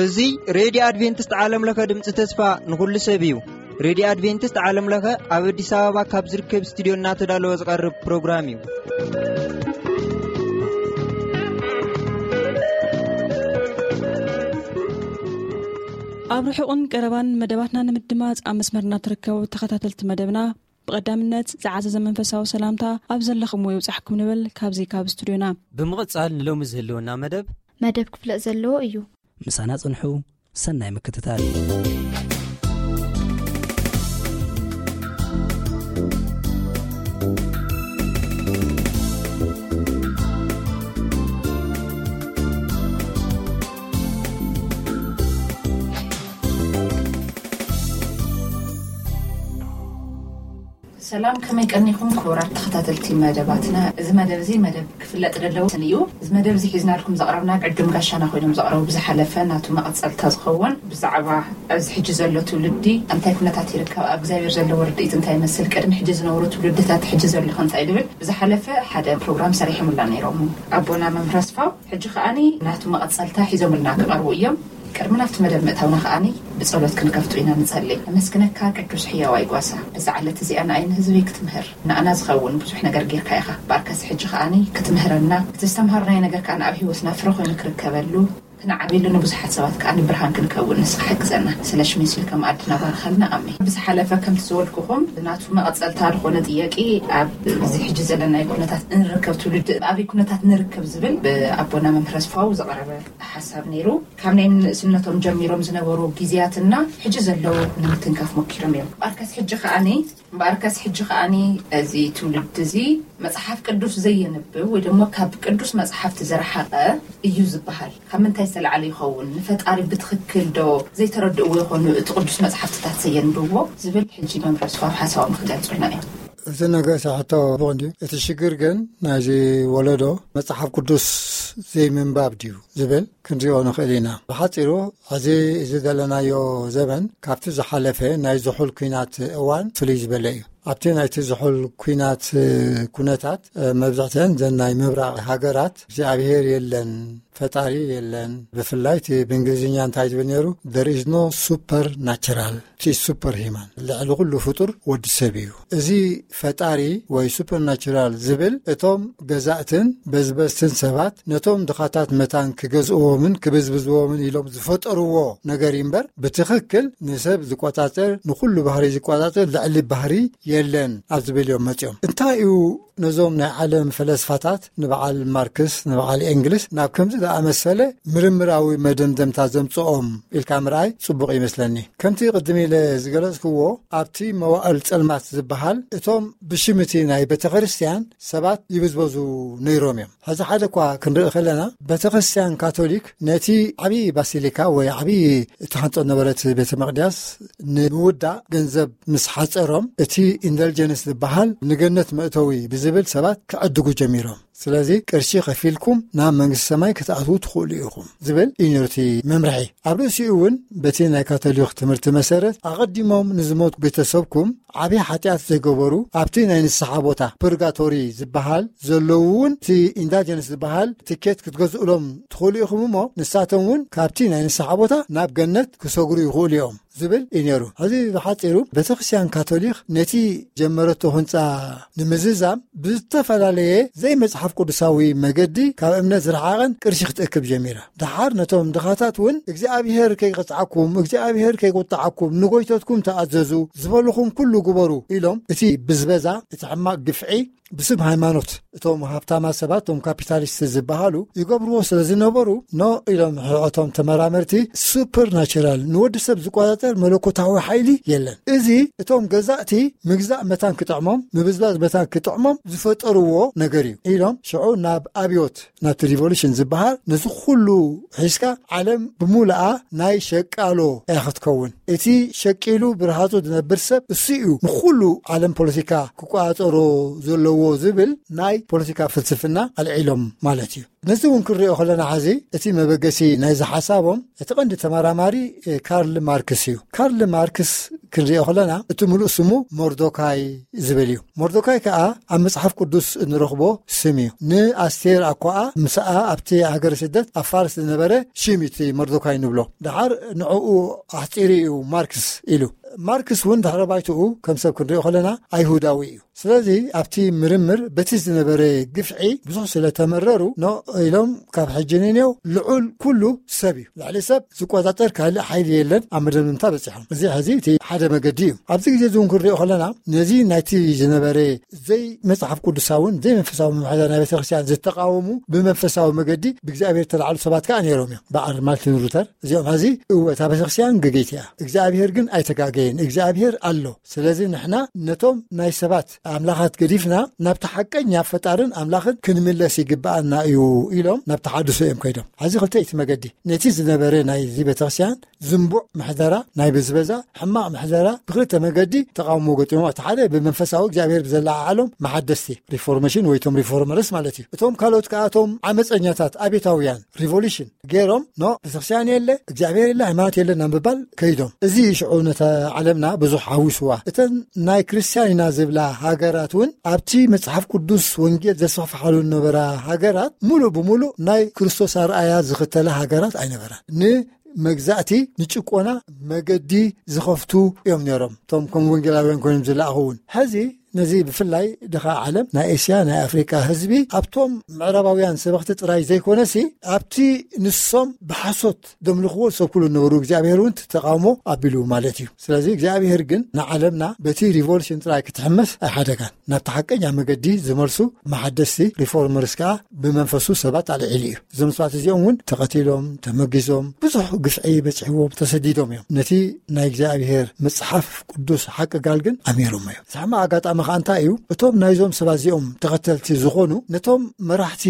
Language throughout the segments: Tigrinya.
እዚ ሬድዮ ኣድቬንቲስት ዓለም ለኸ ድምፂ ተስፋ ንኹሉ ሰብ እዩ። ሬድዮ ኣድቬንቲስት ዓለም ለኸ ኣብ ኣዲስ ኣበባ ካብ ዝርከብ ስቱዲዮ እናተዳለወ ዝቐርብ ፕሮግራም እዩ። ኣብ ርሑቕን ቀረባን መደባትና ንምድማፅ ኣብ መስመርና ትርከቡ ተኸታተልቲ መደብና፣ ብቐዳምነት ዝዓዘዘ መንፈሳዊ ሰላምታ ኣብ ዘለኹምዎ ይብጻሕኩም ንብል ካብዚ ካብ ስቱድዮና። ብምቕጻል ንሎሚ ዝህልወና መደብ መደብ ክፍለጥ ዘለዎ እዩ። ምሳና ጽንሑ። ሰናይ ምክትታል። ሰላም፣ ከመይ ቀኒኹም ክቡራት ተኸታተልቲ መደባትና? እዚ መደብ እዚ መደብ ክፍለጥ ደለዎ እዩ። እዚ መደብ እዚ ሒዝናልኩም ዘቕረብና ዕዱም ጋሻና ኮይኖም ዘቕረቡ ብዝሓለፈ ናቱ መቐጸልታ ዝኸውን ብዛዕባ ኣብዚ ሕጂ ዘሎ ትውልዲ እንታይ ኩነታት ይርከብ፣ ኣብ እግዚኣብሔር ዘለዎ ርድኢት እንታይ ይመስል፣ ቅድሚ ሕጂ ዝነበሩ ትውልድታት ሕጂ ዘሎ እንታይ ዝብል ብዝሓለፈ ሓደ ፕሮግራም ሰሪሖምላ ነይሮም። ኣቦና መምህር ኣስፋው ሕጂ ከኣኒ ናቱ መቐጸልታ ሒዞምልና ክቐርቡ እዮም። ቅድሚ ናብቲ መደብ ምእታውና ከኣኒ ብጸሎት ክንከፍቱ ኢና ንጸሊ። ነመስግነካ ቅዱስ ሕያዋይ ጓሳ፣ በዛ ዕለት እዚኣ ንኣይ ንህዝቢ ክትምህር ንኣና ዝኸውን ብዙሕ ነገር ጌርካ ኢኻ። ብኣርከስ ሕጂ ከኣኒ ክትምህረና፣ እቲ ዝተምሃርናዮ ነገር ከኣ ኣብ ህይወትና ፍረ ኮይኑ ክርከበሉ፣ ክንዓብየሉ፣ ንብዙሓት ሰባት ከኣ ንብርሃን ክንከውን ንስኻ ሕግዘና። ስለ ሽሙ ሲል ከም ኣድና ባርኸልና። ኣሜን። ብዝሓለፈ ከምቲ ዝበልኩኹም ናቱ መቐጸልታ ዝኾነ ጥያቄ ኣብ እዚ ሕጂ ዘለናዮ ኩነታት እንርከብ ትውልዲ ኣበይ ኩነታት ንርከብ ዝብል ብኣቦና መምህር ኣስፋው ዝቐረበ ሓሳብ ነይሩ። ካብ ናይ ንእስነቶም ጀሚሮም ዝነበሩ ግዜያትና ሕጂ ዘለዉ ንምትንካፍ ሞኪሮም እዮም። እምበኣርከስ ሕጂ ከኣኒ እምበኣርከስ ሕጂ ከኣኒ እዚ ትውልዲ እዚ መጽሓፍ ቅዱስ ዘየንብብ ወይ ደሞ ካብ ቅዱስ መጽሓፍቲ ዝረሓቐ እዩ ዝበሃል። ካብ ምንታይ ዝተላዕለ ይኸውን? ንፈጣሪ ብትኽክል ዶ ዘይተረድእዎ ይኾኑ እቲ ቅዱስ መጽሓፍትታት ዘየንብብዎ? ዝብል ሕጂ መምህር ኣስፋው ሓሳቦም ክገልጹልና እዮም። እቲ ነገር ሳሕቶ ብቕንዲ እቲ ሽግር ግን ናይዚ ወለዶ መጽሓፍ ቅዱስ ዘይምንባብ ድዩ ዝብል ክንሪኦ ንኽእል ኢና። ብሓጺሩ፣ ሕዚ እዚ ዘለናዮ ዘበን ካብቲ ዝሓለፈ ናይ ዝሑል ኲናት እዋን ፍልይ ዝበለ እዩ። ኣብቲ ናይቲ ዝሑል ኲናት ኩነታት፣ መብዛሕትአን ዘን ናይ ምብራቕ ሃገራት እግዚኣብሔር የለን፣ ፈጣሪ የለን። ብፍላይ እቲ ብእንግሊዝኛ እንታይ ዝብል ነይሩ? There is no supernatural, it is superhuman። ልዕሊ ኩሉ ፍጡር ወዲ ሰብ እዩ። እዚ ፈጣሪ ወይ ሱፐርናቹራል ዝብል እቶም ገዛእትን በዝበዝትን ሰባት ነቶም ድኻታት መታን ክገዝእዎምን ክብዝብዝዎምን ኢሎም ዝፈጠርዎ ነገር እዩ እምበር፣ ብትኽክል ንሰብ ዝቆጻጸር፣ ንኹሉ ባህሪ ዝቆጻጸር ልዕሊ ባህሪ የለን ኣብ ዝብል እዮም መጺኦም። እንታይ እዩ ነዞም ናይ ዓለም ፈለስፋታት ንበዓል ማርክስ፣ ንበዓል ኤንግልስ ናብ ከምዚ ዝኣመሰለ ምርምራዊ መደምደምታ ዘምጽኦም ኢልካ ምርኣይ ጽቡቕ ይመስለኒ። ከምቲ ቅድም ኢለ ዝገለጽክዎ፣ ኣብቲ መዋእል ጸልማት ዝበሃል እቶም ብሽም እቲ ናይ ቤተ ክርስቲያን ሰባት ይብዝበዙ ነይሮም እዮም። ሕዚ ሓደ እኳ ክንርኢ ከለና፣ ቤተ ክርስቲያን ካቶሊክ ነቲ ዓብዪ ባሲሊካ ወይ ዓብዪ እትሃንጾ ነበረት ቤተ መቕደስ ንምውዳእ ገንዘብ ምስ ሓጸሮም፣ እቲ ኢንደልጀንስ ዝበሃል ንገነት መእተዊ ብዝብል ሰባት ክዕድጉ ጀሚሮም። ስለዚ ቅርሺ ከፊልኩም ናብ መንግስቲ ሰማይ ክትኣትዉ ትኽእሉ ኢኹም ዝብል እዩ ነሩ እቲ መምርሒ። ኣብ ርእሲኡ እውን በቲ ናይ ካቶሊክ ትምህርቲ መሰረት፣ ኣቐዲሞም ንዝሞት ቤተሰብኩም ዓብዪ ሓጢኣት ዘይገበሩ ኣብቲ ናይ ንስሓ ቦታ ፕርጋቶሪ ዝበሃል ዘለዉ እውን እቲ ኢንዳጀንስ ዝበሃል ትኬት ክትገዝኡሎም ትኽእሉ ኢኹም እሞ፣ ንሳቶም እውን ካብቲ ናይ ንስሓ ቦታ ናብ ገነት ክሰግሩ ይኽእሉ እዮም ዝብል እዩ ነይሩ። ሕዚ ብሓጺሩ ቤተክርስትያን ካቶሊክ ነቲ ጀመረቶ ህንጻ ንምዝዛም ብዝተፈላለየ ዘይመጽሓፍ ቅዱሳዊ መገዲ ካብ እምነት ዝረሓቐን ቅርሺ ክትእክብ ጀሚራ። ደሓር ነቶም ድኻታት እውን እግዚኣብሔር ከይቀጽዓኩም፣ እግዚኣብሔር ከይቁጥዓኩም፣ ንጎይተትኩም ተኣዘዙ፣ ዝበልኹም ኩሉ ግበሩ ኢሎም እቲ ብዝበዛ እቲ ሕማቕ ግፍዒ ብስም ሃይማኖት እቶም ሃብታማት ሰባት፣ እቶም ካፒታሊስት ዝበሃሉ ይገብርዎ ስለ ዝነበሩ፣ ኖ ኢሎም ሕዕቶም ተመራመርቲ፣ ሱፐርናቹራል ንወዲ ሰብ ዝቆጻጸር መለኮታዊ ሓይሊ የለን። እዚ እቶም ገዛእቲ ምግዛእ መታን ክጥዕሞም፣ ምብዝባዝ መታን ክጥዕሞም ዝፈጠርዎ ነገር እዩ ኢሎም ሽዑ ናብ ኣብዮት ናብቲ ሪቮሉሽን ዝበሃል ነዚ ኩሉ ሒዝካ ዓለም ብሙሉኣ ናይ ሸቃሎ እያ ክትከውን። እቲ ሸቂሉ ብርሃጹ ዝነብር ሰብ እሱ እዩ ንኩሉ ዓለም ፖለቲካ ክቆጻጸሮ ዘለዎ ዝብልዎ ዝብል ናይ ፖለቲካ ፍልስፍና ኣልዒሎም ማለት እዩ። ነዚ እውን ክንሪኦ ከለና፣ ሕዚ እቲ መበገሲ ናይዚ ሓሳቦም እቲ ቀንዲ ተመራማሪ ካርል ማርክስ እዩ። ካርል ማርክስ ክንሪኦ ከለና፣ እቲ ምሉእ ስሙ ሞርዶካይ ዝብል እዩ። ሞርዶካይ ከዓ ኣብ መጽሓፍ ቅዱስ እንረኽቦ ስም እዩ። ንኣስቴር ኣኳኣ ምስኣ ኣብቲ ሃገረ ስደት ኣብ ፋርስ ዝነበረ ሽም እዩ እቲ ሞርዶካይ ንብሎ። ደሓር ንዕኡ ኣሕጺሩ እዩ ማርክስ ኢሉ። ማርክስ እውን ድሕረ ባይትኡ ከም ሰብ ክንሪኦ ከለና ኣይሁዳዊ እዩ። ስለዚ ኣብቲ ምርምር በቲ ዝነበረ ግፍዒ ብዙሕ ስለ ተመረሩ፣ ኖ ኢሎም ካብ ሕጂ ንኔው ልዑል ኩሉ ሰብ እዩ፣ ልዕሊ ሰብ ዝቆጻጸር ካልእ ሓይሊ የለን ኣብ መደምደምታ በጺሖም። እዚ ሕዚ እቲ ሓደ መገዲ እዩ። ኣብዚ ግዜ እዚ እውን ክንሪኦ ከለና፣ ነዚ ናይቲ ዝነበረ ዘይ መጽሓፍ ቅዱሳውን ዘይ መንፈሳዊ ምምሕዳር ናይ ቤተክርስትያን ዝተቃወሙ፣ ብመንፈሳዊ መገዲ ብእግዚኣብሔር ተላዕሉ ሰባት ከዓ ነይሮም እዮም። በዓል ማርቲን ሉተር እዚኦም ሕዚ እወ እታ ቤተክርስትያን ገገይቲ እያ፣ እግዚኣብሔር ግን ኣይተጋገየን፣ እግዚኣብሔር ኣሎ። ስለዚ ንሕና ነቶም ናይ ሰባት ኣምላኻት ገዲፍና ናብቲ ሓቀኛ ፈጣርን ኣምላኽን ክንምለስ ይግብኣና እዩ ኢሎም ናብ ተሓድሶ እዮም ከይዶም። ሕዚ ክልተይቲ መገዲ፣ ነቲ ዝነበረ ናይዚ ቤተክርስትያን ዝንቡዕ ምሕደራ፣ ናይ ብዝበዛ ሕማቕ ምሕደራ ብክልተ መገዲ ተቃውሞ ገጢሞ። እቲ ሓደ ብመንፈሳዊ እግዚኣብሔር ብዘለዓዓሎም መሓደስቲ ሪፎርሜሽን ወይ ቶም ሪፎርመርስ ማለት እዩ። እቶም ካልኦት ከኣ እቶም ዓመፀኛታት ኣቤታውያን ሪቮሉሽን ገይሮም ኖ ቤተክርስትያን የለ እግዚኣብሔር የለ ሃይማኖት የለ ናብ ምባል ከይዶም። እዚ ሽዑ ነታ ዓለምና ብዙሕ ሓዊስዋ። እተን ናይ ክርስትያን ኢና ዝብላ ሃገራት እውን ኣብቲ መጽሓፍ ቅዱስ ወንጌል ዘስፋፍሓሉ ዝነበራ ሃገራት ሙሉእ ብሙሉእ ናይ ክርስቶስ ኣርኣያ ዝኽተላ ሃገራት ኣይነበራን። ንመግዛእቲ ንጭቆና መገዲ ዝኸፍቱ እዮም ነይሮም። እቶም ከም ወንጌላውያን ኮይኖም ዝለኣኹ እውን ሕዚ ነዚ ብፍላይ ድኻ ዓለም ናይ ኤስያ ናይ ኣፍሪቃ ህዝቢ ኣብቶም ምዕራባውያን ሰበኽቲ ጥራይ ዘይኮነሲ ኣብቲ ንሶም ብሓሶት ደምልኽዎ ዝሰብክሉ ነበሩ እግዚኣብሔር እውን ተቃውሞ ኣቢሉ ማለት እዩ። ስለዚ እግዚኣብሔር ግን ንዓለምና በቲ ሪቮሉሽን ጥራይ ክትሕመስ ኣይሓደጋን። ናብቲ ሓቀኛ መገዲ ዝመልሱ መሓደስቲ ሪፎርመርስ ከዓ ብመንፈሱ ሰባት ኣልዒሉ እዩ። እዞም ሰባት እዚኦም እውን ተቐቲሎም፣ ተመጊዞም፣ ብዙሕ ግፍዒ በፂሕዎም፣ ተሰዲዶም እዮም። ነቲ ናይ እግዚኣብሔር መጽሓፍ ቅዱስ ሓቂ ጋል ግን ኣሚሮሞ እዮም። እቲ ሕማቕ ኣጋጣሚ ከዓ እንታይ እዩ? እቶም ናይዞም ሰባት እዚኦም ተኸተልቲ ዝኾኑ ነቶም መራሕቲ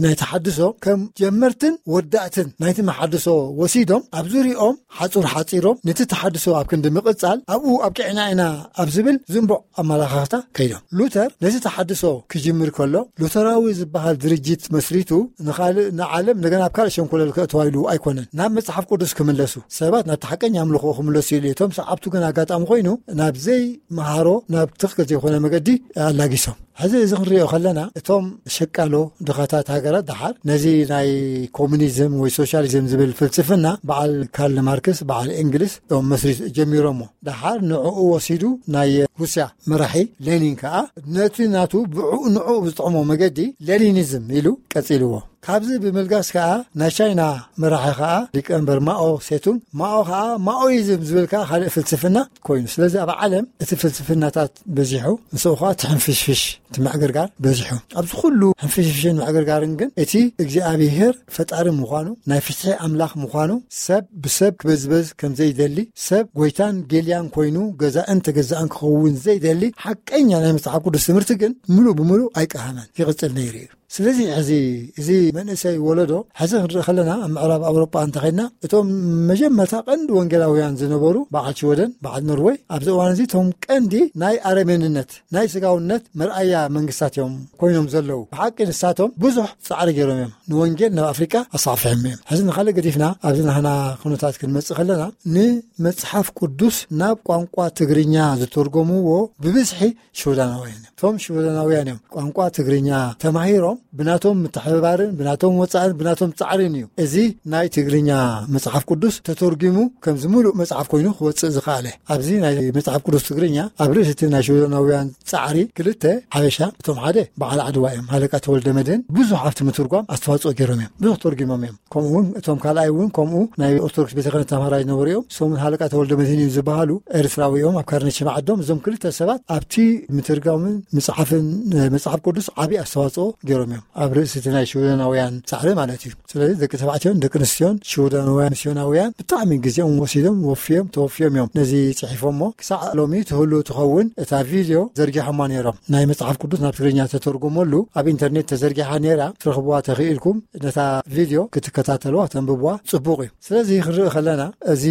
ናይ ተሓድሶ ከም ጀመርትን ወዳእትን ናይቲ መሓድሶ ወሲዶም ኣብ ዙሪኦም ሓጹር ሓጺሮም ነቲ ተሓድሶ ኣብ ክንዲ ምቕጻል ኣብኡ ኣብቂዕና ኢና ኣብ ዝብል ዝንቡዕ ኣመላኻኽታ ከይዶም። ሉተር ነቲ ተሓድሶ ክጅምር ከሎ ሉተራዊ ዝበሃል ድርጅት መስሪቱ ንኻልእ ንዓለም እንደገና ኣብ ካልእ ሸንኮለል ከእትዋ ኢሉ ኣይኮነን። ናብ መጽሓፍ ቅዱስ ክምለሱ፣ ሰባት ናብቲ ሓቀኛ ኣምልኾ ክምለሱ ኢሉ እዩ። እቶም ሰዓብቱ ግን ኣጋጣሚ ኮይኑ ናብ ዘይመሃሮ ናብ ትኽክል ዘይኮነ መገዲ ኣላጊሶም። ሕዚ እዚ ክንሪኦ ከለና እቶም ሸቃሎ ድኻታት ሃገራት ደሓር ነዚ ናይ ኮሙኒዝም ወይ ሶሻሊዝም ዝብል ፍልስፍና በዓል ካርል ማርክስ በዓል እንግሊዝ እዮም መስሪት ጀሚሮሞ። ደሓር ንዕኡ ወሲዱ ናይ ሩስያ መራሒ ሌኒን ከዓ ነቲ ናቱ ብዕኡ ንዕኡ ብዝጥዕሞ መገዲ ሌኒኒዝም ኢሉ ቀጺልዎ። ካብዚ ብምልጋስ ከዓ ናይ ቻይና መራሒ ከዓ ሊቀመንበር ማኦ ሴቱን፣ ማኦ ከዓ ማኦይዝም ዝብል ከዓ ካልእ ፍልስፍና ኮይኑ። ስለዚ ኣብ ዓለም እቲ ፍልስፍናታት በዚሑ፣ ንስኡ ከዓ እቲ ሕንፍሽፍሽ እቲ ምዕግርጋር በዚሑ። ኣብዚ ኩሉ ሕንፍሽፍሽን ምዕግርጋርን ግን እቲ እግዚኣብሔር ፈጣሪ ምዃኑ፣ ናይ ፍትሒ ኣምላኽ ምዃኑ፣ ሰብ ብሰብ ክበዝበዝ ከም ዘይደሊ፣ ሰብ ጎይታን ጌልያን ኮይኑ ገዛእን ተገዛእን ክኸውን ዘይደሊ ሓቀኛ ናይ መጽሓፍ ቅዱስ ትምህርቲ ግን ምሉእ ብምሉእ ኣይቀሃመን፣ ይቕጽል ነይሩ እዩ። ስለዚ ሕዚ እዚ መንእሰይ ወለዶ ሕዚ ክንርኢ ከለና ኣብ ምዕራብ ኣውሮጳ እንተኸድና እቶም መጀመርታ ቀንዲ ወንጌላውያን ዝነበሩ በዓል ሽወደን በዓል ኖርወይ ኣብዚ እዋን እዚ እቶም ቀንዲ ናይ ኣረሜንነት ናይ ስጋውነት መርኣያ መንግስታት እዮም ኮይኖም ዘለዉ። ብሓቂ ንሳቶም ብዙሕ ጻዕሪ ገይሮም እዮም ንወንጌል ናብ ኣፍሪቃ ኣስፋሕፊሖም እዮም። ሕዚ ንኻልእ ገዲፍና ኣብዚ ናህና ኩነታት ክንመጽእ ከለና ንመጽሓፍ ቅዱስ ናብ ቋንቋ ትግርኛ ዝተርጎምዎ ብብዝሒ ሽወዳናውያን እዮም። እቶም ሽወዳናውያን እዮም ቋንቋ ትግርኛ ተማሂሮም ብናቶም ምትሕብባርን ብናቶም ወፃእን ብናቶም ፃዕርን እዩ እዚ ናይ ትግርኛ መፅሓፍ ቅዱስ ተተርጊሙ ከምዚ ሙሉእ መፅሓፍ ኮይኑ ክወፅእ ዝኸኣለ። ኣብዚ ናይ መፅሓፍ ቅዱስ ትግርኛ ኣብ ርእሲ እቲ ናይ ሽወዳናውያን ፃዕሪ ክልተ ሓበሻ፣ እቶም ሓደ በዓል ዓድዋ እዮም፣ ሃለቃ ተወልደ መድህን ብዙሕ ኣብቲ ምትርጓም ኣስተዋፅኦ ገይሮም እዮም፣ ብዙሕ ተርጊሞም እዮም። ከምኡ እውን እቶም ካልኣይ እውን ከምኡ ናይ ኦርቶዶክስ ቤተ ክህነት ተምሃራይ ዝነበሩ እዮም። እሶምን ሃለቃ ተወልደ መድህን እዮም ዝበሃሉ፣ ኤርትራዊ እዮም፣ ኣብ ካርነች ዓዶም። እዞም ክልተ ሰባት ኣብቲ ምትርጋምን ምፅሓፍን መፅሓፍ ቅዱስ ዓብዪ ኣስተዋፅኦ ገይሮም እዮም። ኣብ ርእሲ እቲ ናይ ሽወደናዊ ውያን ጻዕሪ ማለት እዩ። ስለዚ ደቂ ተባዕትዮን ደቂ ኣንስትዮን ሽወዳናውያን ሚስዮናውያን ብጣዕሚ ግዜኦም ወሲዶም ወፍዮም ተወፍዮም እዮም ነዚ ጽሒፎሞ። ክሳዕ ሎሚ ትህሉ ትኸውን እታ ቪድዮ ዘርጊሖማ ነይሮም። ናይ መጽሓፍ ቅዱስ ናብ ትግርኛ ተተርጉመሉ ኣብ ኢንተርኔት ተዘርጊሓ ነይራ። ትረኽብዋ ተኽኢልኩም ነታ ቪድዮ ክትከታተልዋ ተንብብዋ ጽቡቕ እዩ። ስለዚ ክንርኢ ከለና እዚ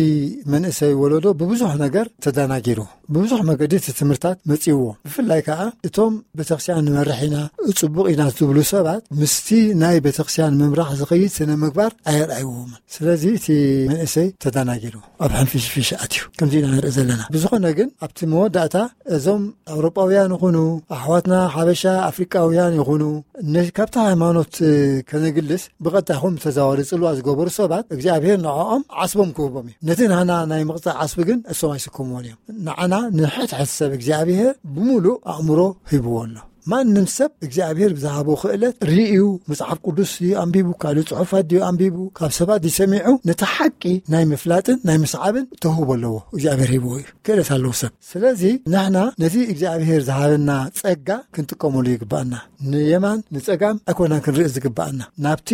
መንእሰይ ወለዶ ብብዙሕ ነገር ተደናጊሩ፣ ብብዙሕ መገዲ እቲ ትምህርታት መጺእዎ። ብፍላይ ከዓ እቶም ቤተክርስትያን ንመርሕ ኢና፣ ጽቡቕ ኢና ዝብሉ ሰባት ምስቲ ናይ ቤተክርስትያን ምምራሕ ዝኸይድ ስነ ምግባር ኣየርኣይዎምን። ስለዚ እቲ መንእሰይ ተደናጊሩ ኣብ ሕንፍሽፍሽ ኣትዩ። ከምዚ ኢና ንርኢ ዘለና። ብዝኾነ ግን ኣብቲ መወዳእታ እዞም ኣውሮጳውያን ይኹኑ ኣሕዋትና ሓበሻ ኣፍሪቃውያን ይኹኑ ነ-፣ ካብታ ሃይማኖት ከነግልስ ብቐጥታ ይኹን ብተዘዋዋሪ ጽልዋ ዝገበሩ ሰባት እግዚኣብሔር ንዕኦም ዓስቦም ክህቦም እዩ። ነቲ ንሕና ናይ ምቕጻዕ ዓስቢ ግን እሶም ኣይስከምዎን እዮም። ንዓና ንሕድሕድ ሰብ እግዚኣብሔር ብምሉእ ኣእምሮ ሂብዎ ኣሎ። ማንም ሰብ እግዚኣብሔር ብዝሃቦ ክእለት ርእዩ መጽሓፍ ቅዱስ ድዩ ኣንቢቡ፣ ካልእ ጽሑፋት ድዩ ኣንቢቡ፣ ካብ ሰባት ድዩ ሰሚዑ፣ ነቲ ሓቂ ናይ ምፍላጥን ናይ ምስዓብን ተውህቦ ኣለዎ። እግዚኣብሔር ሂብዎ እዩ። ክእለት ኣለዎ ሰብ። ስለዚ ንሕና ነቲ እግዚኣብሔር ዝሃበና ጸጋ ክንጥቀመሉ ይግባኣና። ንየማን ንጸጋም ኣይኮናን ክንርኢ ዝግባኣና። ናብቲ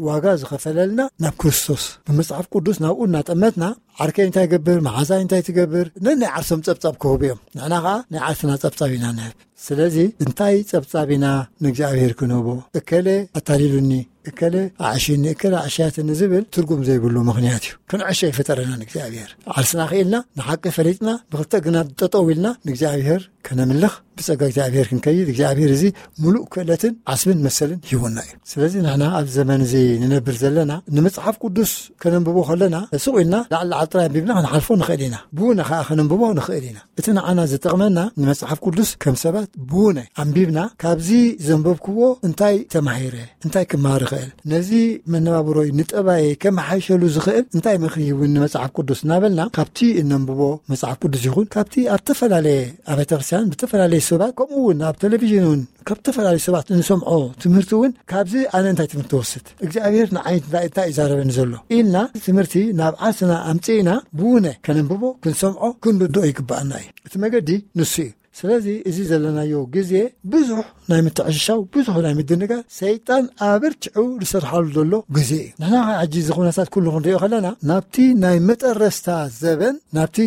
ዋጋ ዝኸፈለልና ናብ ክርስቶስ ብመጽሓፍ ቅዱስ ናብኡ እናጠመትና ዓርከይ እንታይ ይገብር፣ መሓዛይ እንታይ ትገብር፣ ነናይ ዓርሶም ጸብጻብ ክህቡ እዮም። ንሕና ኸዓ ናይ ዓርስና ጸብጻብ ኢና ንህብ። ስለዚ እንታይ ጸብጻብ ኢና ንእግዚኣብሔር ክንህቦ? እከለ ኣታሊሉኒ፣ እከለ ኣዕሽኒ፣ እከለ ኣዕሽያትኒ ዝብል ትርጉም ዘይብሉ ምኽንያት እዩ። ክንዕሾ ይፈጠረና ንእግዚኣብሔር። ዓርስና ክኢልና፣ ንሓቂ ፈሊጥና፣ ብኽልተ እግርና ጠጠው ኢልና ንእግዚኣብሔር ከነምልኽ፣ ብጸጋ እግዚኣብሔር ክንከይድ እግዚኣብሔር እዚ ምሉእ ክእለትን ዓስብን መሰልን ሂቡና እዩ። ስለዚ ንሕና ኣብ ዘመን እዚ ንነብር ዘለና ንመጽሓፍ ቅዱስ ከነንብቦ ከለና ስቕ ኢልና ላዕሊ ላዕሊ ጥራይ ኣንቢብና ክንሓልፎ ንኽእል ኢና። ብውነ ከኣ ከነንብቦ ንኽእል ኢና። እቲ ንዓና ዝጠቕመና ንመጽሓፍ ቅዱስ ከም ሰባት ብውነ ኣንቢብና ካብዚ ዘንበብክዎ እንታይ ተማሂረ፣ እንታይ ክመሃር ይኽእል፣ ነዚ መነባብሮይ ንጠባየ ከመሓይሸሉ ዝኽእል እንታይ ምኽሪ ሂቡኒ መጽሓፍ ቅዱስ እናበልና ካብቲ እነንብቦ መጽሓፍ ቅዱስ ይኹን ካብቲ ኣብ ዝተፈላለየ ኣብያተ ክርስቲያን ብተፈላለየ ሰባት ከምኡ እውን ኣብ ቴሌቪዥን እውን ካብ ዝተፈላለዩ ሰባት እንሰምዖ ትምህርቲ እውን ካብዚ ኣነ እንታይ ትምህርቲ ወስድ እግዚኣብሔር ንዓይ እንታይ እንታይ ይዛረበኒ ዘሎ ኢልና ትምህርቲ ናብ ዓርስና ኣምፅእና ብውነ ከነንብቦ ክንሰምዖ ክንርድኦ ይግባኣና እዩ። እቲ መገዲ ንሱ እዩ። ስለዚ እዚ ዘለናዮ ግዜ ብዙሕ ናይ ምትዕሽሻው ብዙሕ ናይ ምድንጋር ሰይጣን ኣበርቲዑ ዝሰርሓሉ ዘሎ ግዜ እዩ። ንሕና ከዓ ሕጂ እዚ ኩነታት ኩሉ ክንሪኦ ከለና ናብቲ ናይ መጠረስታ ዘበን ናብቲ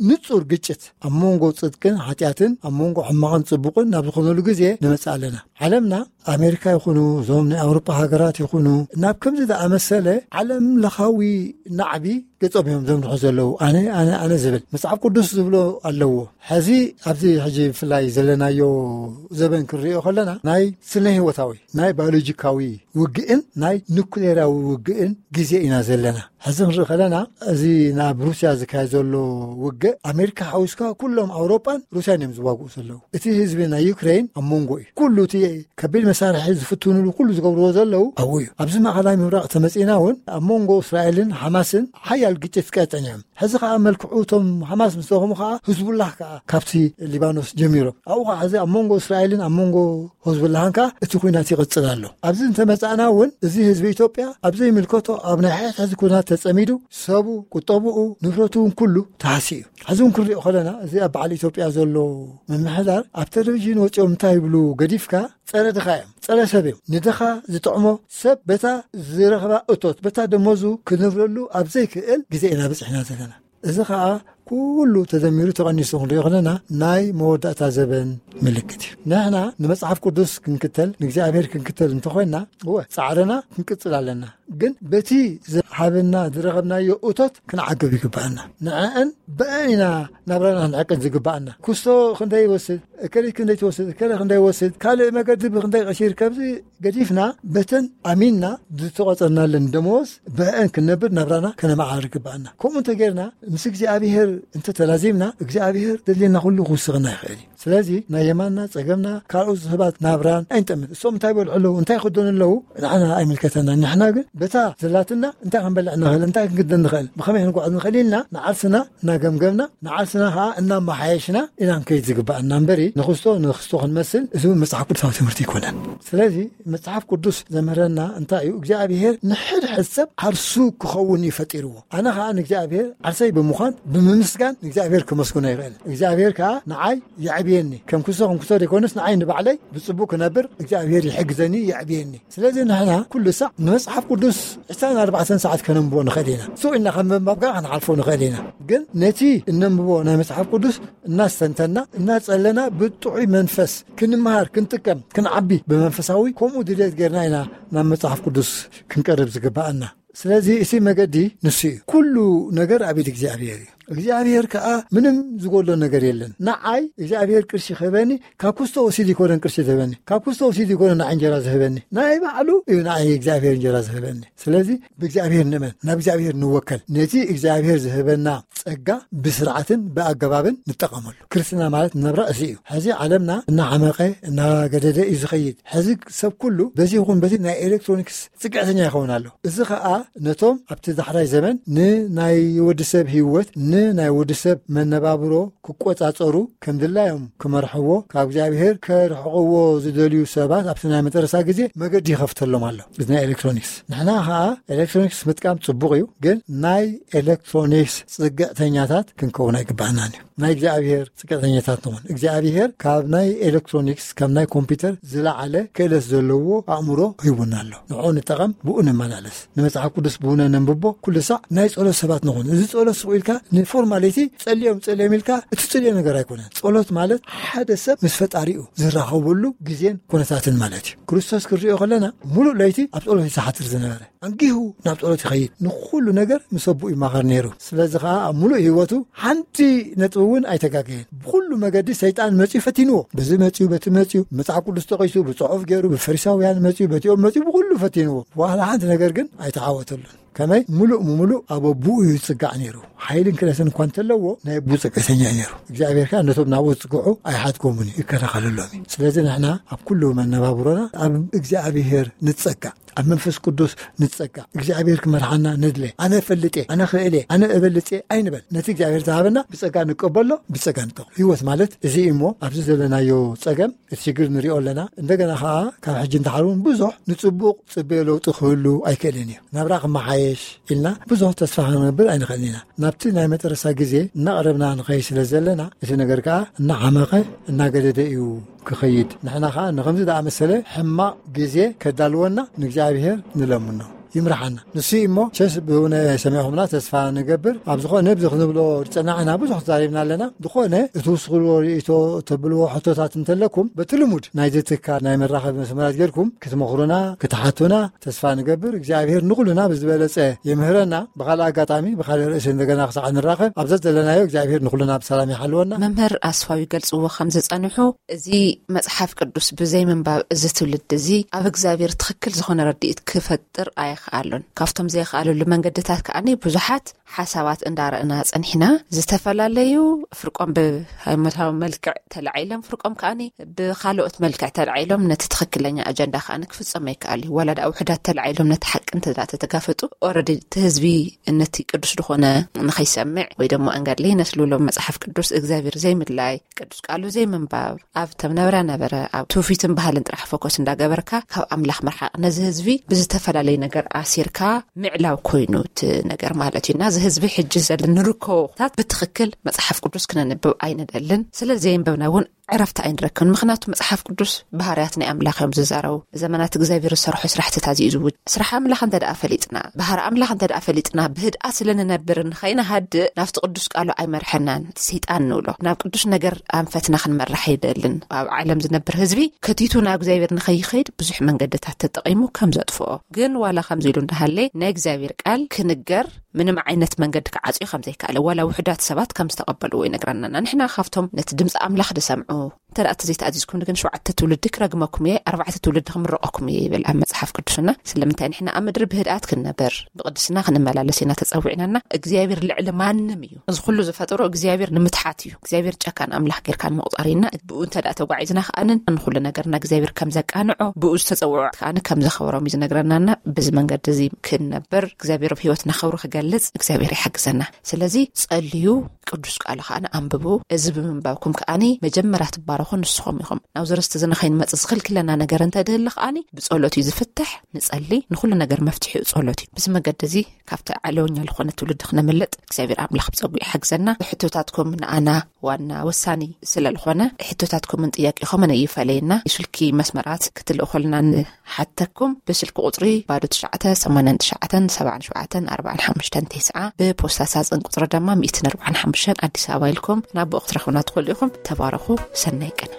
ንጹር ግጭት ኣብ መንጎ ጽድቅን ሓጢኣትን ኣብ መንጎ ሕማቕን ጽቡቕን ናብ ዝኾነሉ ግዜ ንመጽእ ኣለና። ዓለምና ኣሜሪካ ይኹኑ እዞም ናይ ኣውሮጳ ሃገራት ይኹኑ ናብ ከምዚ ዝኣመሰለ ዓለም ለኻዊ ናዕቢ ገጾም እዮም ዘምርሑ ዘለዉ። ኣነ ኣነ ኣነ ዝብል መጽሓፍ ቅዱስ ዝብሎ ኣለዎ። ሕዚ ኣብዚ ሕጂ ብፍላይ ዘለናዮ ዘበን ክንሪኦ ከለና ናይ ስነ ህይወታዊ ናይ ባዮሎጂካዊ ውግእን ናይ ኑክሌራዊ ውግእን ግዜ ኢና ዘለና። ሕዚ ክንርኢ ከለና እዚ ናብ ሩስያ ዝካየድ ዘሎ ውግእ ኣሜሪካ ሓዊስካ ኩሎም ኣውሮጳን ሩስያን እዮም ዝዋግኡ ዘለዉ። እቲ ህዝቢ ናይ ዩክሬን ኣብ መንጎ እዩ። ኩሉ እቲ ከቢድ መሳርሒ ዝፍትኑሉ ኩሉ ዝገብርዎ ዘለዉ ኣብኡ እዩ። ኣብዚ ማእኸላይ ምብራቕ ተመፂና እውን ኣብ መንጎ እስራኤልን ሓማስን ሓያል ግጭት ቀጠን እዮም። ሕዚ ከዓ መልክዑ እቶም ሓማስ ምስ ደኸሙ ከዓ ህዝቡላህ ከዓ ካብቲ ሊባኖስ ጀሚሮም ኣብኡ ከዓ ሕዚ ኣብ መንጎ እስራኤልን ኣብ መንጎ ህዝቡላህን ከዓ እቲ ኩናት ይቕፅል ኣሎ። ኣብዚ እንተመፃእና እውን እዚ ህዝቢ ኢትዮጵያ ኣብ ዘይምልከቶ ኣብ ናይ ሕሕዚ ኩናት ተፀሚዱ ሰቡ ቁጠብኡ ንብረቱ እውን ኩሉ ተሃሲ እዩ። ሕዚ እውን ክንሪኦ ከለና እዚ ኣብ በዓል ኢትዮጵያ ዘሎ ምምሕዳር ኣብ ቴሌቪዥን ወፂኦም እንታይ ይብሉ ገዲፍካ ጸረ ድኻ እዮም። ጸረ ሰብ እዮም። ንድኻ ዝጥዕሞ ሰብ በታ ዝረኽባ እቶት በታ ደሞዙ ክነብረሉ ኣብ ዘይክእል ግዜ ኢና በጺሕና ዘለና። እዚ ኸኣ ኩሉ ተደሚሩ ተቐኒሱ ክንሪኦ ከለና ናይ መወዳእታ ዘበን ምልክት እዩ። ንሕና ንመጽሓፍ ቅዱስ ክንክተል ንእግዚኣብሔር ክንክተል እንተኾይንና እወ ጻዕርና ክንቅጽል ኣለና። ግን በቲ ዝሃበና ዝረኸብናዮ እቶት ክንዓግብ ይግብኣና። ንዕአን ብአን ኢና ናብራና ክንዕቅን ዝግብኣና። ኩስቶ ክንደይ ይወስድ፣ እከሊት ክንደይ ትወስድ፣ እከለ ክንደይ ይወስድ፣ ካልእ መገዲ ብክንደይ ቀሺር፣ ከምዚ ገዲፍና በተን ኣሚንና ዝተቆጸርናለን ደመወዝ ብአን ክንነብር ናብራና ከነመዓራሪ ይግብኣና። ከምኡ እንተጌርና ምስ እግዚኣብሔር እንተተላዚምና እግዚኣብሔር ዘድልየና ኩሉ ክውስኸና ይኽእል እዩ። ስለዚ ናይ የማንና ጸገምና ካልኦት ሰባት ናብራን ኣይንጠምት። እሶም እንታይ ይበልዑ ኣለዉ እንታይ ይኸደኑ ኣለዉ ንዓና ኣይምልከተና። ንሕና ግን በታ ዘላትና እንታይ ክንበልዕ ንኽእል እንታይ ክንግደን ንኽእል ብኸመይ ክንጓዓዝ ንኽእል ኢልና ንዓርስና እናገምገምና ንዓርስና ኸዓ እናመሓየሽና ኢና ክንከይድ ዝግብኣና እምበሪ ንክስቶ ንክስቶ ክንመስል እዚ እውን መጽሓፍ ቅዱሳዊ ትምህርቲ ኣይኮነን። ስለዚ መጽሓፍ ቅዱስ ዘምህረና እንታይ እዩ እግዚኣብሔር ንሕድሕድ ሰብ ዓርሱ ክኸውን እዩ ፈጢርዎ። ኣነ ኸዓ ንእግዚኣብሔር ዓርሰይ ብምዃን ብምምስ ምስጋን ንእግዚኣብሔር ክመስግኖ ይኽእል። እግዚኣብሔር ከዓ ንዓይ የዕብየኒ። ከም ክሶ ከም ክሶ ዘይኮነስ ንዓይ ንባዕለይ ብጽቡቅ ክነብር እግዚኣብሔር ይሕግዘኒ፣ የዕብየኒ። ስለዚ ንሕና ኩሉ ሳዕ ንመጽሓፍ ቅዱስ ዕስራን ኣርባዕተን ሰዓት ከነንብቦ ንኽእል ኢና። ስቕ ኢልና ከም ምንባብ ከዓ ክንሓልፎ ንኽእል ኢና። ግን ነቲ እነንብቦ ናይ መጽሓፍ ቅዱስ እናስተንተና እናጸለና ብጥዑይ መንፈስ ክንመሃር ክንጥቀም ክንዓቢ ብመንፈሳዊ ከምኡ ድሌት ጌርና ኢና ናብ መጽሓፍ ቅዱስ ክንቀርብ ዝግባኣና። ስለዚ እቲ መገዲ ንሱ እዩ። ኩሉ ነገር ኣብ ኢድ እግዚኣብሔር እዩ። እግዚኣብሔር ከዓ ምንም ዝጎሎ ነገር የለን። ንዓይ እግዚኣብሔር ቅርሺ ክህበኒ ካብ ክስቶ ወሲድ ይኮነን ቅርሺ ዝህበኒ፣ ካብ ክስቶ ወሲድ ይኮነን ንዓይ እንጀራ ዝህበኒ። ናይ ባዕሉ እዩ ንዓይ እግዚኣብሔር እንጀራ ዝህበኒ። ስለዚ ብእግዚኣብሔር ንእመን፣ ናብ እግዚኣብሔር ንወከል። ነቲ እግዚኣብሔር ዝህበና ጸጋ ብስርዓትን ብኣገባብን ንጠቐመሉ። ክርስትና ማለት ነብራ እዚ እዩ። ሕዚ ዓለምና እናዓመቐ እናገደደ እዩ ዝኸይድ። ሕዚ ሰብ ኩሉ በዚ ይኹን በዚ ናይ ኤሌክትሮኒክስ ጽግዕተኛ ይኸውን ኣሎ። እዚ ኸኣ ነቶም ኣብቲ ዳሕራይ ዘመን ንናይ ወዲ ሰብ ህይወት፣ ንናይ ወዲ ሰብ መነባብሮ ክቆጻጸሩ፣ ከም ድላዮም ክመርሕዎ፣ ካብ እግዚኣብሔር ከርሕቕዎ ዝደልዩ ሰባት ኣብቲ ናይ መጨረሳ ግዜ መገዲ ይኸፍተሎም ኣሎ። እዚ ናይ ኤሌክትሮኒክስ ንሕና ኸኣ ኤሌክትሮኒክስ ምጥቃም ጽቡቕ እዩ፣ ግን ናይ ኤሌክትሮኒክስ ጽግዕተኛታት ክንከውን ኣይግባእናን እዩ። ናይ እግዚኣብሔር ጽግዕተኛታት ንኹን። እግዚኣብሔር ካብ ናይ ኤሌክትሮኒክስ፣ ካብ ናይ ኮምፒውተር ዝለዓለ ክእለት ዘለዎ ኣእምሮ ሂቡና ኣሎ። ንዕኡ ንጠቐም፣ ብኡ ንመላለስ። ንመጽሓፍ ቅዱስ ብኡ ነንብቦ፣ ኩሉ ሳዕ ናይ ጸሎት ሰባት ንኹን። እዚ ጸሎት ስቕ ኢልካ ንፎርማሊቲ ጸልዮም ጸልዮም ኢልካ እትጽልዮ ነገር ኣይኮነን። ጸሎት ማለት ሓደ ሰብ ምስ ፈጣሪኡ ዝራኸበሉ ግዜን ኩነታትን ማለት እዩ። ክርስቶስ ክንሪኦ ከለና ሙሉእ ለይቲ ኣብ ጸሎት እዩ ዝሓድር ዝነበረ። ኣንጊሁ ናብ ጸሎት ይኸይድ። ንኹሉ ነገር ምስ ኣቦኡ ይማኸር ነይሩ። ስለዚ ኸኣ ኣብ ሙሉእ ህይወቱ ሓንቲ ነጥቢ እውን ኣይተጋገየን። ብኹሉ መገዲ ሰይጣን መጺኡ ፈቲንዎ። በዚ መጺኡ፣ በቲ መጺኡ፣ መጽሓፍ ቅዱስ ጠቒሱ፣ ብጽሑፍ ገይሩ፣ ብፈሪሳውያን መጺኡ፣ በቲኦም መጺኡ፣ ብኹሉ ፈቲንዎ። ዋላ ሓንቲ ነገር ግን ኣይተዓወተሉን። ከመይ? ሙሉእ ምሙሉእ ኣብ ኣቦኡ እዩ ዝጽጋዕ ነይሩ። ሓይልን ክእለትን እኳ እንተለዎ፣ ናይ ኣቦኡ ጽግዕተኛ እዩ ነይሩ። እግዚኣብሔር ከኣ ነቶም ናብኡ ዝጽግዑ ኣይሓድጎምን እዩ፣ ይከላኸለሎም እዩ። ስለዚ ንሕና ኣብ ኩሉ መነባብሮና ኣብ እግዚኣብሔር ንጸጋዕ፣ ኣብ መንፈስ ቅዱስ ንጸጋዕ፣ እግዚኣብሔር ክመርሓና ንድለ። ኣነ እፈልጥ እየ፣ ኣነ ክእል እየ፣ ኣነ እበልጽ እየ ኣይንበል። ነቲ እግዚኣብሔር ዝሃበና ብጸጋ ንቀበሎ፣ ብጸጋ ንጠቕሞ። ህይወት ማለት እዚ እዩ እሞ፣ ኣብዚ ዘለናዮ ጸገም፣ እቲ ሽግር ንሪኦ ኣለና። እንደገና ኸኣ ካብ ሕጂ ንደሓር እውን ብዙሕ ንጽቡቕ ጽበዮ ለውጢ ክህሉ ኣይክእልን እዩ። ናብራ ክመሓየሽ ኢልና ብዙሕ ተስፋ ክንገብር ኣይንኽእልን ኢና። ናብቲ ናይ መጨረሳ ግዜ እናቐረብና ንኸይድ ስለ ዘለና፣ እቲ ነገር ከኣ እናዓመቐ እናገደደ እዩ ክኸይድ። ንሕና ኸኣ ንኸምዚ ደኣ መሰለ ሕማቕ ግዜ ከዳልወና ንእግዚኣብሔር ንለምኖ። ይምርሓና። ንሱ እዩ እሞ፣ ቸስ ብእውነ ሰሚዕኹምና ተስፋ ንገብር። ኣብ ዝኾነ ብዚ ክንብሎ ዝጸናዕና ብዙሕ ተዛሪብና ኣለና። ዝኾነ እትውስኽልዎ ርእይቶ፣ ተብልዎ ሕቶታት እንተለኩም፣ በቲ ልሙድ ናይዚ ትካል ናይ መራኸቢ መስመራት ጌርኩም ክትመኽሩና፣ ክትሓቱና ተስፋ ንገብር። እግዚኣብሔር ንኹልና ብዝበለጸ ይምህረና። ብኻልእ ኣጋጣሚ፣ ብኻልእ ርእሲ እንደገና ክሳዕ ንራኸብ፣ ኣብዛ ዘለናዮ እግዚኣብሔር ንኹልና ብሰላም ይሓልወና። መምህር ኣስፋው ይገልጽዎ ከም ዝጸንሑ፣ እዚ መጽሓፍ ቅዱስ ብዘይ ምንባብ እዚ ትውልዲ እዚ ኣብ እግዚኣብሔር ትኽክል ዝኾነ ረድኢት ክፈጥር ኣይኽኣሉን። ካብቶም ዘይኽኣለሉ መንገድታት ከኣኒ ብዙሓት ሓሳባት እንዳረእና ጸኒሕና፣ ዝተፈላለዩ ፍርቆም ብሃይማኖታዊ መልክዕ ተላዒሎም፣ ፍርቆም ከኣኒ ብኻልኦት መልክዕ ተላዒሎም ነቲ ትኽክለኛ ኣጀንዳ ከኣኒ ክፍጸም ኣይከኣል እዩ። ዋላ ደኣ ውሑዳት ተላዒሎም ነቲ ሓቂ እንተ ደኣ ተተጋፈጡ፣ ኦረዲ እቲ ህዝቢ ነቲ ቅዱስ ዝኾነ ንኸይሰምዕ ወይ ደሞ ኣንጋድለይ ነስልሎም መጽሓፍ ቅዱስ እግዚኣብሔር ዘይምድላይ፣ ቅዱስ ቃሉ ዘይምንባብ፣ ኣብ ተም ነበረ ነበረ፣ ኣብ ትውፊትን ባህልን ጥራሕ ፎከስ እንዳገበርካ ካብ ኣምላኽ ምርሓቕ፣ ነዚ ህዝቢ ብዝተፈላለየ ነገር ኣሲርካ ምዕላው ኮይኑ እቲ ነገር ማለት እዩ። እና እዚ ህዝቢ ሕጂ ዘሎ ንርከቦ ኩነታት ብትኽክል መጽሓፍ ቅዱስ ክነንብብ ኣይንደልን። ስለ ዘየንበብና እውን ዕረፍቲ ኣይንረክብን። ምኽንያቱ መጽሓፍ ቅዱስ ባህርያት ናይ ኣምላኽ እዮም ዝዛረቡ። ዘመናት እግዚኣብሔር ዝሰርሖ ስራሕትታት እዩ ዝውጅ። ስራሕ ኣምላኽ እንተ ደኣ ፈሊጥና፣ ባህሪ ኣምላኽ እንተ ደኣ ፈሊጥና፣ ብህድኣት ስለ ንነብር ንኸይንሃድእ ናብቲ ቅዱስ ቃሉ ኣይመርሐናን። እቲ ሰይጣን ንብሎ ናብ ቅዱስ ነገር ኣንፈትና ክንመራሕ ኣይደልን። ኣብ ዓለም ዝነብር ህዝቢ ከቲቱ ናብ እግዚኣብሔር ንኸይኸይድ ብዙሕ መንገድታት ተጠቒሙ ከም ዘጥፍኦ፣ ግን ዋላ ከምዚ ኢሉ እንዳሃለየ ናይ እግዚኣብሔር ቃል ክንገር ምንም ዓይነት መንገዲ ክዓጽዮ ከም ዘይከኣለ፣ ዋላ ውሑዳት ሰባት ከም ዝተቐበልዎ ይነግረናና። ንሕና ካብቶም ነቲ ድምፂ ኣምላኽ ዝሰምዑ፣ እንተ ደኣ ተዘይተኣዚዝኩም ግን ሸውዓተ ትውልዲ ክረግመኩም እየ፣ ኣርባዕተ ትውልዲ ክምረቐኩም እየ ይብል ኣብ መጽሓፍ ቅዱስና። ስለምንታይ ንሕና ኣብ ምድሪ ብህድኣት ክንነብር፣ ብቕድስና ክንመላለስ ኢና ተጸዊዕናና። እግዚኣብሔር ልዕሊ ማንም እዩ። እዚ ኩሉ ዝፈጠሮ እግዚኣብሔር ንምትሓት እዩ። እግዚኣብሔር ጨካን ኣምላኽ ጌርካ ንምቑጻር ኢና። ብኡ እንተ ደኣ ተጓዒዝና ከኣንን ንኹሉ ነገርና እግዚኣብሔር ከም ዘቃንዖ፣ ብኡ ዝተጸውዖ ከኣን ከም ዘኸብሮም እዩ ዝነግረናና። በዚ መንገዲ እዚ ክንነብር፣ እግዚኣብሔር ኣብ ህይወትና ክብሩ ክገልጽ እግዚኣብሔር ይሓግዘና። ስለዚ ጸልዩ፣ ቅዱስ ቃሉ ከኣ ኣንብቡ። እዚ ብምንባብኩም ከኣኒ መጀመርያ ትባረኹ፣ እኹ ንስኹም ኢኹም። ናብዚ ርስቲ እዚ ንኸይንመጽእ ዝኽልክለና ነገር እንተድህሊ ከኣኒ ብጸሎት እዩ ዝፍትሕ። ንጸሊ፣ ንኹሉ ነገር መፍትሒኡ ጸሎት እዩ። ብዚ መገዲ እዚ ካብቲ ዓለወኛ ዝኾነ ትውልዲ ክነምልጥ እግዚኣብሔር ኣምላኽ ብጸጉ ይሓግዘና። ሕቶታትኩም ንኣና ዋና ወሳኒ ስለ ዝኾነ ሕቶታትኩምን ጥያቄኹምን እዩ ፈለየና። ስልኪ መስመራት ክትልእኹልና ንሓተኩም። ብስልኪ ቁጽሪ ባዶ ትሽዓተ ሰማንያን ትሽዓተን ሰብዓን ሸውዓተን ኣርባዓን ሓሙሽተን ተስዓ፣ ብፖስታ ሳጽን ቁጽሪ ድማ ሚእትን ኣርባዓን ሓሙሽተን ኣዲስ ኣበባ ኢልኩም ናብ ብኡ ክትረኽቡና ትኽእሉ ኢኹም። ተባረኹ። ሰናይ ቅነ።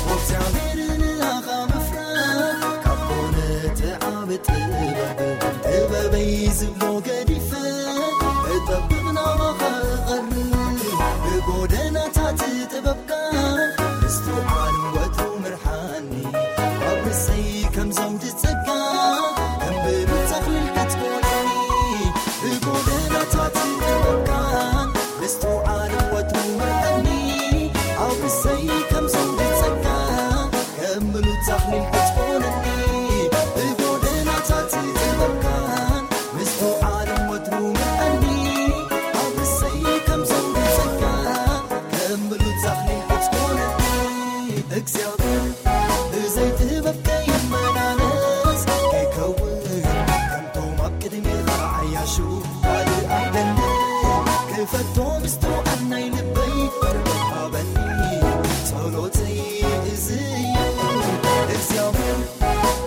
እግዚኣብሔር ንኣኻ ምፍራድ ካብ ኮነ እቲ ዓቢ ጥበብ፣ ጥበበይ ዝብሎ ገዲፈ እጠብቕ ናባኻ እቐርብ። ብጎደናታት ጥበብካ ምስትውዓል ወትሩ ምርሓኒ። ኣብ ርእሰይ ከም ዘውዲ ጸጋ ከም ብሩር ተኽሊል ክትኮነኒ። ብጎደናታት ጥበብካ ምስትውዓል ወትሩ ምርሓኒ። ኣብ ርእሰይ ከም ዘውዲ ጸጋ ከም ብሉጽ ኣኽሊል ክትኮነኒ፣ ብጎደናታት ጥበብካን ምስትውዓልን ወትሩ ምርኣኒ። ኣብ ርእሰይ ከም ዘውዲ ጸጋ ከም ብሉጽ ኣኽሊል ክትኮነኒ። እግዚኣብሔር ብዘይ ጥበብ ከይመላለስ፣ ከይከውን ከምቶም ኣብ ቅድሜኻ ዓያሹ ካልእ ኣይደልን። ክፈቶ ምስትውዓል ናይ ልበይ ሃበኒ፣ ጸሎተይ እዚ እዩ። እግዚኣብሔር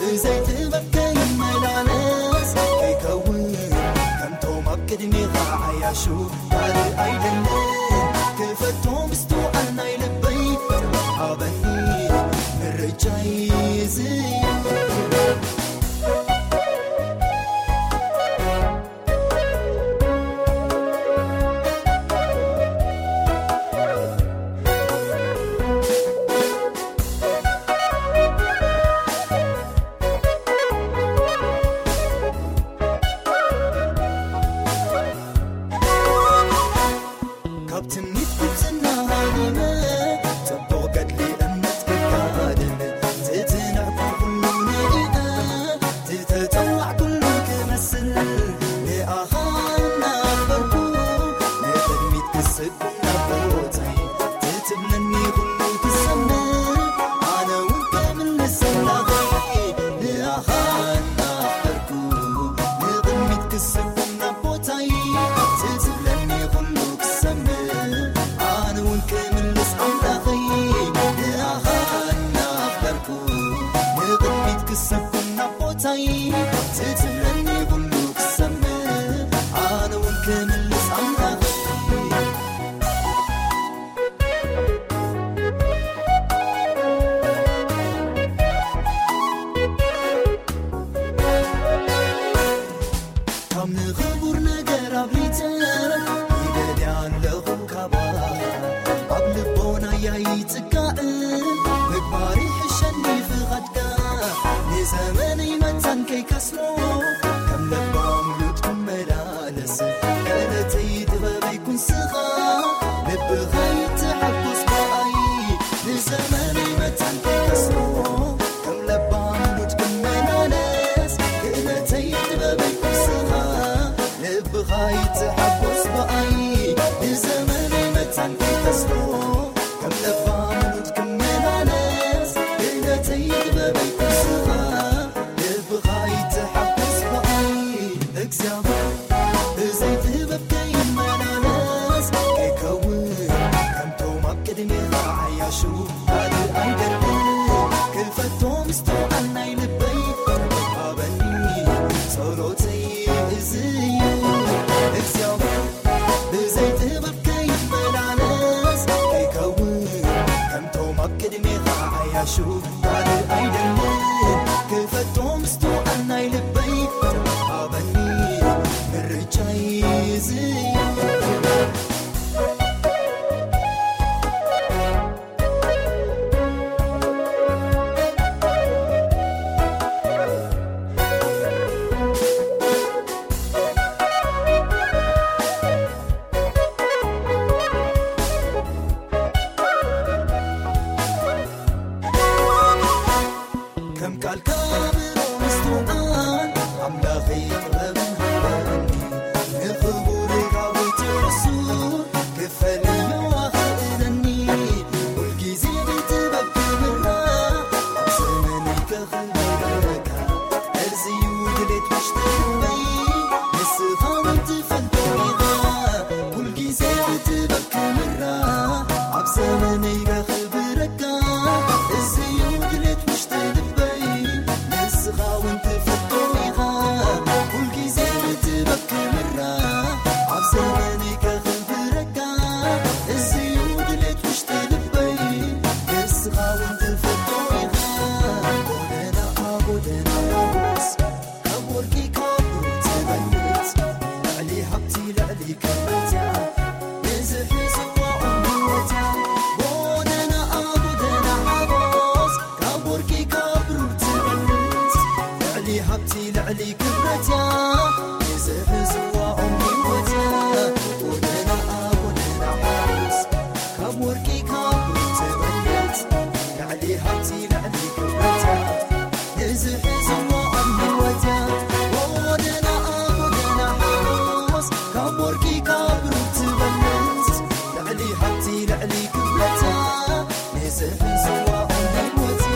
ብዘይ ጥበብ ከይመላለስ፣ ከይከውን ከምቶም ኣብ ቅድሜኻ ዓያሹ ካልእ ኣይደልን። ክፈቶ ምስትውዓል ናይ ልበይ ሃበኒ፣ ምርጫይ እዚ እዩ። ካብ ትምኒት ግብጽና ሃዲመ፣ ጽቡቕ ገድሊ እምነት ክጋደል፣ ትትንዕኩ ኩሉ ንኢነ፣ ትተጸዋዕኩሉ ክመስል፣ ንኣኻ እናኽበርኩ፣ ንቕድሚት ክስጉም ናብ ቦታይ፣ ትትብለኒ ኩሉ ክሰምዕ፣ ኣነ እውን ክምልስ ኣምላኸይ፣ ንኣኻ እናኽበርኩ፣ ንቕድሚት ክስጉም ናብ ቦታይ፣ ትትብለኒ ኩሉ ክሰምዕ፣ ኣነ እውን ክምልስ ኣምላኸይ፣ ንኣኻ እናኽበርኩ፣ ንቕድሚት ክስጉም ናብ ቦታይ፣ ትትብለኒ ኩሉ ክሰምዕ፣ ኣነ እውን ክምልስ ኣምላኸይ። ካብ ንኽቡር ነገር ኣብሊጸ ይደልያ ኣለኹ ካባ። ኣብ ልቦናያ ይጽጋእ ምግባር ይሕሸኒ ፍቓድካ። ንዘመነይ መታን ከይከስሮ ከም ለባም ሉድ ክመላለስ። ክእለተይ ጥበበይ ኩንስኻ ልብኻ ይተሓጎስ ብኣይ። ንዘመነይ መታን ከይከስሮ ከም ለባም ሉድ ክመላለስ። ክእለተይ ጥበበይ ኩንስኻ ልብኻ ይተሓጎስ ብኣይ። ንዘመነይ መታን ከይከስሮ ከም ለባም ሉድ ክመላለስ። ክእለተይ ጥበበይ ኩንስኻ ልብኻ ይተሓጎስ ብኣይ። እግዚኣብሔር ብዘይ ጥበብ ከይመላለስ፣ ከይከውን ከምቶም ኣብ ቅድሜኻ ዓያሹ ካልእ ኣይደልን። ክፈቶ ምስትውዓል ናይ ልበይ ሃበኒ፣ ጸሎተይ እዚ እዩ። እግዚኣብሔር ብዘይ ጥበብ ከይመላለስ፣ ከይከውን ከምቶም ኣብ ቅድሜኻ ዓያሹ ካልእ ኣይደልን። ክፈቶ ምስትውዓል ናይ ልበይ ክብረትያ ንዝሕዝዋ ኦም ህይወትያ ጎደናኣ ጎደና ሓጎስ ካብ ወርቂ ካብ ብሩር ትበልጽ ልዕሊ ሃብቲ ልዕሊ ክብረትያ ንዝሕዝዋ ኦም ህይወትያ ጎደናኣ ጎደና ሓጎስ ካብ ወርቂ ካብ ብሩር ትበልጽ ልዕሊ ሃብቲ ልዕሊ ክብረትያ ንዝሕዝዋ ኦም ህይወትያ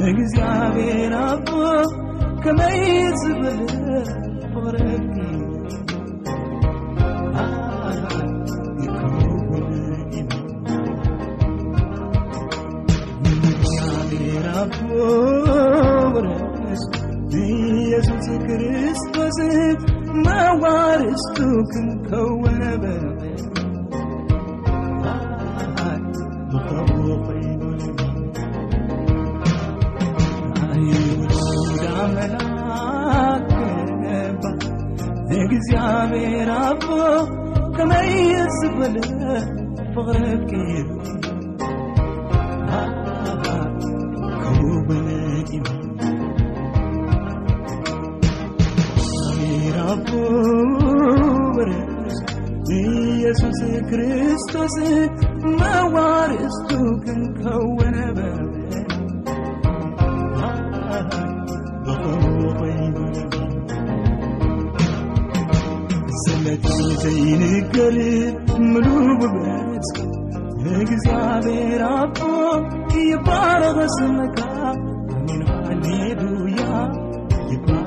እግዚኣብሔር ኣቦ ከመይ ዝብል ፍቕረኪ ይኸውን ኢና እግዚኣብሔር ኣቦ ውረስ ንኢየሱስ ክርስቶስ መዋርስቱ ክንከውን በል ብኸምኡ ኮይኑ ኣይሁዳ መላክ ገባ እግዚኣብሔር ኣቦ ከመይ ዝበለ ፍቕረኪ ክውን እዩ እግዚኣብሔር ኣቦ ውረስ ኢየሱስ ክርስቶስ መዋርስቱ ክንከውን በል ብኸምኡ ኮይኑ ስለቲ ዘይንገር ምሉእ ውበት እግዚኣብሔር ኣቦ ይባረኽ ስምካ ኣሜን ሃሌሉያ ይባረኽ